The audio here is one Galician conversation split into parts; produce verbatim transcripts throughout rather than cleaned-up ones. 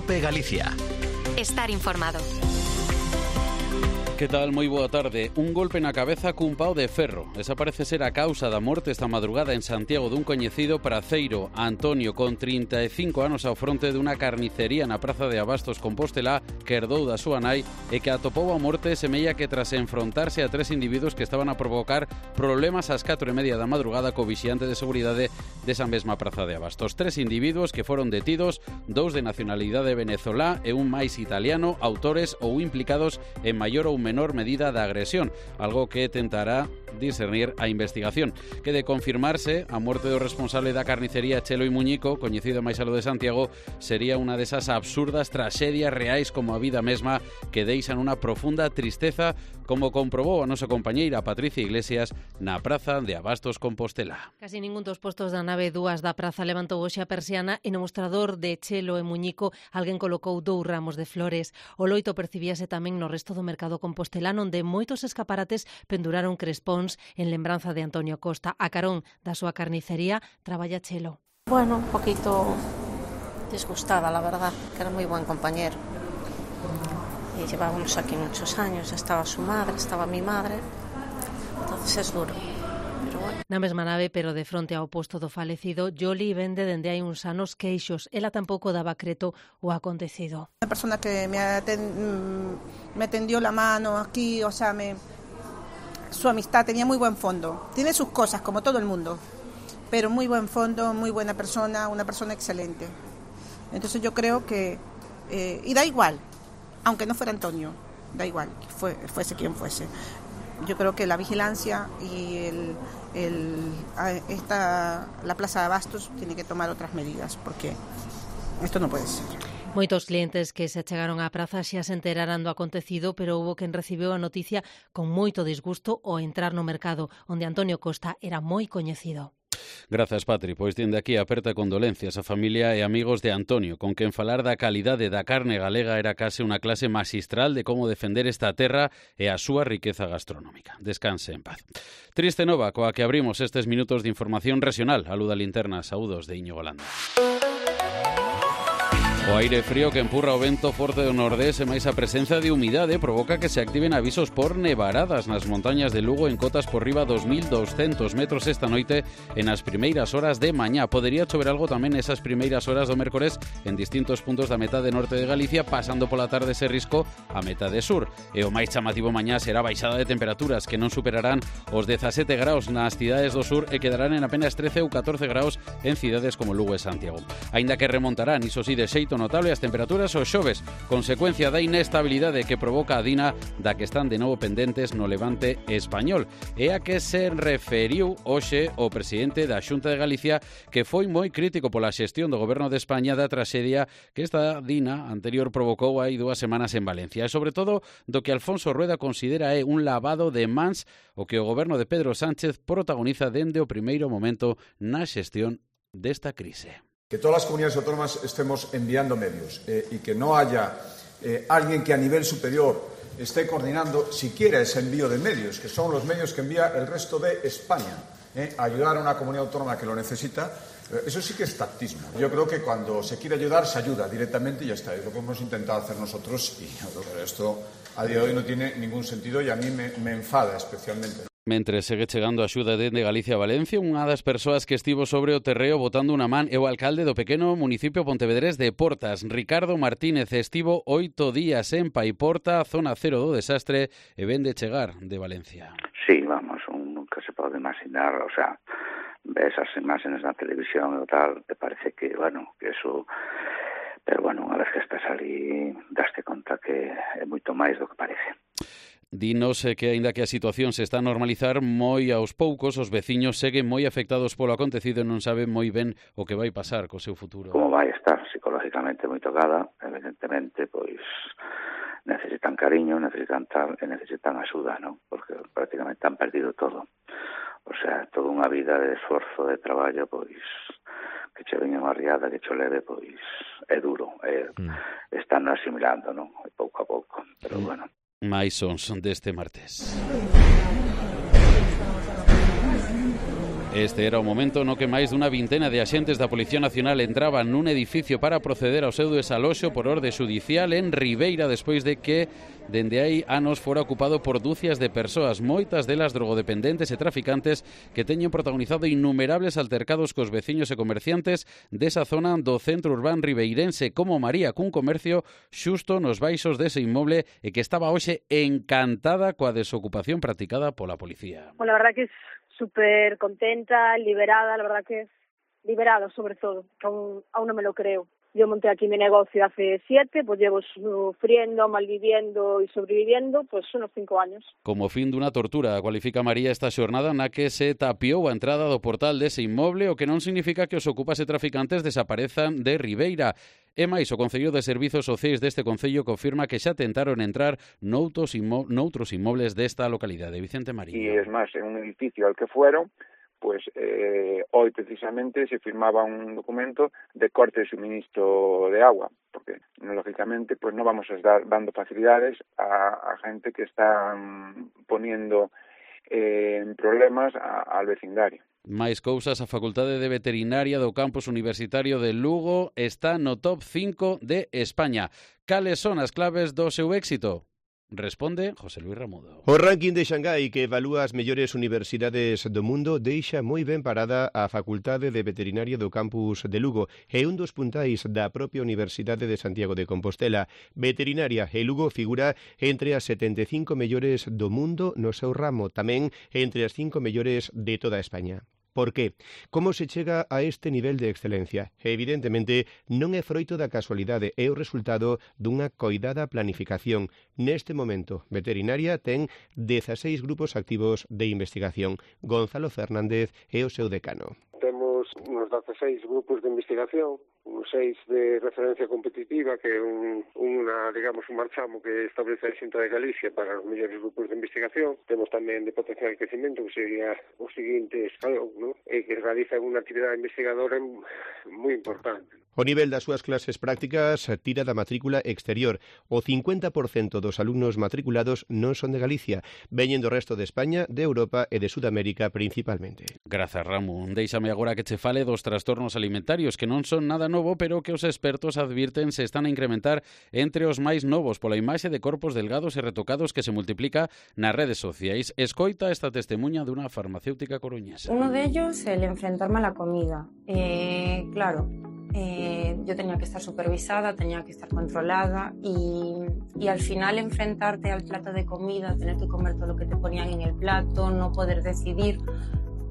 COPE Galicia. Estar informado. Que tal? Moi boa tarde. Un golpe na cabeza cun pau de ferro. Esa parece ser a causa da morte esta madrugada en Santiago dun coñecido praceiro, Antonio, con trinta e cinco anos ao fronte dunha carnicería na praza de Abastos, Compostela, que herdou da súa nai e que atopou a morte semella que tras enfrontarse a tres individuos que estaban a provocar problemas ás catro e media da madrugada co vixiante de seguridade desa mesma praza de Abastos. Tres individuos que foron detidos, dous de nacionalidade venezolá e un máis italiano, autores ou implicados en maior ou menor medida da agresión, algo que tentará discernir a investigación. Que de confirmarse, a morte do responsable da carnicería Chelo e Muñico, coñecido máis a lo de Santiago, sería unha desas absurdas traxedias reais como a vida mesma que deixan unha profunda tristeza, como comprobou a nosa compañeira Patricia Iglesias na praza de Abastos, Compostela. Casi ningún dos postos da nave dúas da praza levantou hoxe a persiana e no mostrador de Chelo e Muñico alguén colocou dous ramos de flores. O loito percibíase tamén no resto do mercado compostelano, onde moitos escaparates penduraron crespóns en lembranza de Antonio Costa. A carón da súa carnicería traballa Chelo. Bueno, un poquito disgustada, la verdad, que era moi buen compañero. Y llevábamos aquí muchos años, estaba su madre, estaba mi madre, entonces es duro. Pero bueno. Na mesma nave, pero de fronte ao posto do falecido, Yoli vende dende hai uns anos queixos. Ela tampouco daba creto o acontecido. Una persona que me, aten, me tendió la mano aquí, o sea, me, su amistad tenía muy buen fondo. Tiene sus cosas, como todo el mundo, pero muy buen fondo, muy buena persona, una persona excelente. Entonces yo creo que, eh, y da igual, aunque no fuera Antonio, da igual, que fue, fuese quien fuese. Yo creo que la vigilancia y el, el, esta, la Plaza de Abastos tiene que tomar otras medidas, porque esto no puede ser. Moitos clientes que se achegaron á praza xa se enteraran do acontecido, pero houbo quen recibiu a noticia con moito disgusto ao entrar no mercado, onde Antonio Costa era moi coñecido. Grazas, Patri. Pois dende aquí aperta condolencias a familia e amigos de Antonio, con quen falar da calidade da carne galega era case unha clase maxistral de como defender esta terra e a súa riqueza gastronómica. Descanse en paz. Triste nova coa que abrimos estes minutos de información regional. Aluda Linterna, saúdos de Íñigo Landa. O aire frío que empurra o vento forte do nordés e máis a presenza de humidade provoca que se activen avisos por nevaradas nas montañas de Lugo en cotas por riba dos mil douscentos metros esta noite e nas primeiras horas de mañá. Podería chover algo tamén nesas primeiras horas do mércores en distintos puntos da metade norte de Galicia, pasando pola tarde ese risco a metade sur. E o máis chamativo mañá será baixada de temperaturas que non superarán os dezasete graus nas cidades do sur e quedarán en apenas trece ou catorce graus en cidades como Lugo e Santiago. Aínda que remontarán, iso sí, de xeito notable as temperaturas os xoves, consecuencia da inestabilidade que provoca a Dina, da que están de novo pendentes no levante español, e a que se referiu hoxe o presidente da Xunta de Galicia, que foi moi crítico pola xestión do goberno de España da traxedia que esta Dina anterior provocou hai dúas semanas en Valencia, e sobre todo do que Alfonso Rueda considera é un lavado de mans o que o goberno de Pedro Sánchez protagoniza dende o primeiro momento na xestión desta crise. Que todas las comunidades autónomas estemos enviando medios eh, y que no haya eh, alguien que a nivel superior esté coordinando siquiera ese envío de medios, que son los medios que envía el resto de España, eh, a ayudar a una comunidad autónoma que lo necesita. Eh, eso sí que es tactismo. Yo creo que cuando se quiere ayudar, se ayuda directamente y ya está. Es lo que hemos intentado hacer nosotros y esto a día de hoy no tiene ningún sentido y a mí me, me enfada especialmente. Mentre segue chegando a axuda dende Galicia a Valencia, unha das persoas que estivo sobre o terreo botando unha man é o alcalde do pequeno municipio pontevedrés de Portas, Ricardo Martínez. Estivo oito días en Paiporta, zona cero do desastre, e vende chegar de Valencia. Sí, vamos, un, nunca se pode imaginar, o sea, ves as imágenes na televisión e tal, te parece que, bueno, que eso... Pero, bueno, unha vez que estás ali, daste conta que é moito máis do que parece. Dinos que, aínda que a situación se está a normalizar, moi aos poucos os veciños seguen moi afectados polo acontecido e non saben moi ben o que vai pasar co seu futuro. Como vai estar psicológicamente moi tocada, evidentemente, pois necesitan cariño, necesitan tal, e necesitan axuda, non? Porque prácticamente han perdido todo. O sea, toda unha vida de esforzo, de traballo, pois que che veña unha riada, que che leve, pois é duro, é, mm. están asimilando, non? Pouco a pouco, pero mm. bueno. máis sons deste martes. Este era o momento no que máis dunha vintena de axentes da Policía Nacional entraban nun edificio para proceder ao seu desaloxo por orde xudicial en Ribeira despois de que dende hai anos fora ocupado por dúcias de persoas, moitas delas drogodependentes e traficantes que teñen protagonizado innumerables altercados cos veciños e comerciantes desa zona do centro urbán ribeirense, como María, cun comercio xusto nos baixos dese inmoble e que estaba hoxe encantada coa desocupación practicada pola policía. Bueno, la verdad que es súper contenta, liberada, la verdad que es liberada sobre todo, aún, aún no me lo creo. Yo monté aquí mi negocio hace siete, pues llevo sufriendo, malviviendo y sobreviviendo, pues unos cinco años. Como fin dunha tortura, cualifica María esta xornada na que se tapiou a entrada do portal dese inmoble, o que non significa que os ocupas e traficantes desaparezan de Ribeira. E máis, o Concello de Servizos Sociais deste Concello confirma que xa tentaron entrar noutros, inmo- noutros inmobles desta localidade. Vicente Marín. Y es más, en un edificio al que fueron, pues eh, hoy precisamente se firmaba un documento de corte de suministro de agua, porque lógicamente pues no vamos a estar dando facilidades a, a gente que está um, poniendo eh, en problemas a, al vecindario. Máis cousas, a Facultade de Veterinaria do Campus Universitario de Lugo está no top cinco de España. Cales son as claves do seu éxito? Responde José Luis Ramudo. O ranking de Xangai que evalúa as mellores universidades do mundo deixa moi ben parada a Facultade de Veterinaria do Campus de Lugo e un dos puntais da propia Universidade de Santiago de Compostela. Veterinaria e Lugo figura entre as setenta e cinco mellores do mundo no seu ramo, tamén entre as cinco mellores de toda España. Por qué? Como se chega a este nivel de excelencia? Evidentemente, non é froito da casualidade, é o resultado dunha coidada planificación. Neste momento, Veterinaria ten dezasseis grupos activos de investigación. Gonzalo Fernández é o seu decano. Temos uns dezasseis grupos de investigación, uns seis de referencia competitiva, que é un, unha, digamos, un marchamo que establece a Xunta de Galicia para os mellores grupos de investigación. Temos tamén de potencial de crecimiento, que sería o seguinte escalón, ¿no? E que realiza unha actividade investigadora moi importante. O nivel das súas clases prácticas tira da matrícula exterior. O cincuenta por cento dos alumnos matriculados non son de Galicia, veñen do resto de España, de Europa e de Sudamérica principalmente. Grazas, Ramón. Déixame agora que che fale dos trastornos alimentarios, que non son nada novo, pero que os expertos advirten se están a incrementar entre os máis novos pola imaxe de corpos delgados e retocados que se multiplica nas redes sociais. Escoita esta testemunha dunha farmacéutica coruñesa. Uno de ellos, el enfrentarme a la comida. Eh, claro, Eh, yo tenía que estar supervisada, tenía que estar controlada y, y al final enfrentarte al plato de comida, tener que comer todo lo que te ponían en el plato, no poder decidir,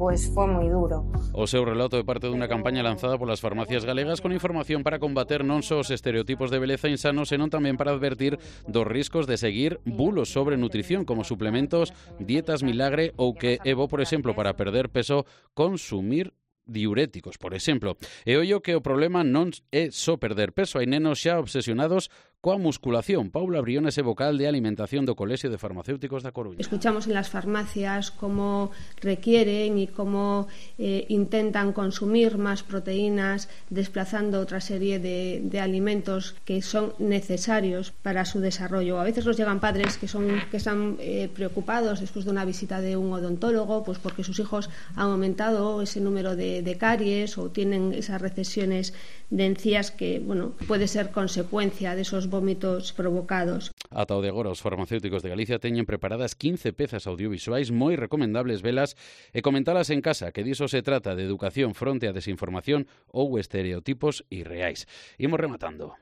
pues fue moi duro. O seu relato é parte dunha campaña lanzada polas farmacias galegas con información para combater non só os estereotipos de beleza insanos, senón tamén para advertir dos riscos de seguir bulos sobre nutrición como suplementos, dietas milagre ou que é bo, por exemplo, para perder peso, consumir diuréticos, por exemplo. E ollo que o problema non é só perder peso, hai nenos xa obsesionados coa musculación. Paula Briones é vocal de alimentación do Colexio de Farmacéuticos da Coruña. Escuchamos en las farmacias cómo requieren y cómo eh, intentan consumir más proteínas, desplazando otra serie de, de alimentos que son necesarios para su desarrollo. A veces nos llegan padres que son que están eh, preocupados después de una visita de un odontólogo, pues porque sus hijos han aumentado ese número de, de caries o tienen esas recesiones de encías que, bueno, puede ser consecuencia de esos vómitos provocados. Ata o de agora, os farmacéuticos de Galicia teñen preparadas quince pezas audiovisuais moi recomendables velas e comentalas en casa, que diso se trata de educación fronte a desinformación ou estereotipos irreais. Imos rematando.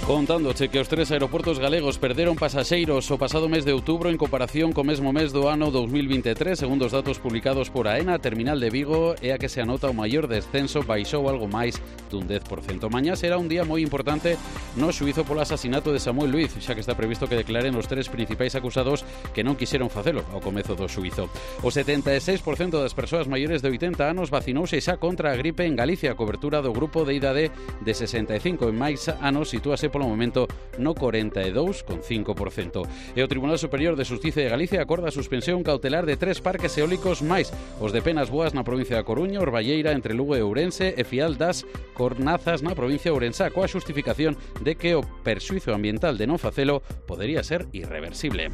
Contándoche que os tres aeroportos galegos perderon pasaxeiros o pasado mes de outubro en comparación co mesmo mes do ano dos mil vinte e tres, segundo os datos publicados por AENA, a terminal de Vigo é a que se anota o maior descenso, baixou algo máis dun dez por cento. Mañá será un día moi importante no xuízo polo asasinato de Samuel Luiz, xa que está previsto que declaren os tres principais acusados que non quixeron facelo ao comezo do xuízo. O setenta e seis por cento das persoas maiores de oitenta anos vacinouse xa contra a gripe en Galicia. A cobertura do grupo de idade de sesenta e cinco e máis anos sitúase polo momento no corenta e dous coma cinco por cento. E o Tribunal Superior de Xustiza de Galicia acorda a suspensión cautelar de tres parques eólicos máis, os de Penas Boas na provincia da Coruña, Orballeira entre Lugo e Ourense e Fial das Cornazas na provincia de Ourense, coa xustificación de que o perxuízo ambiental de non facelo podería ser irreversible.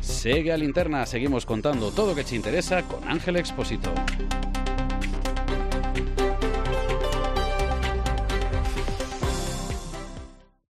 Segue a Linterna, seguimos contando todo o que te interesa con Ángel Expósito.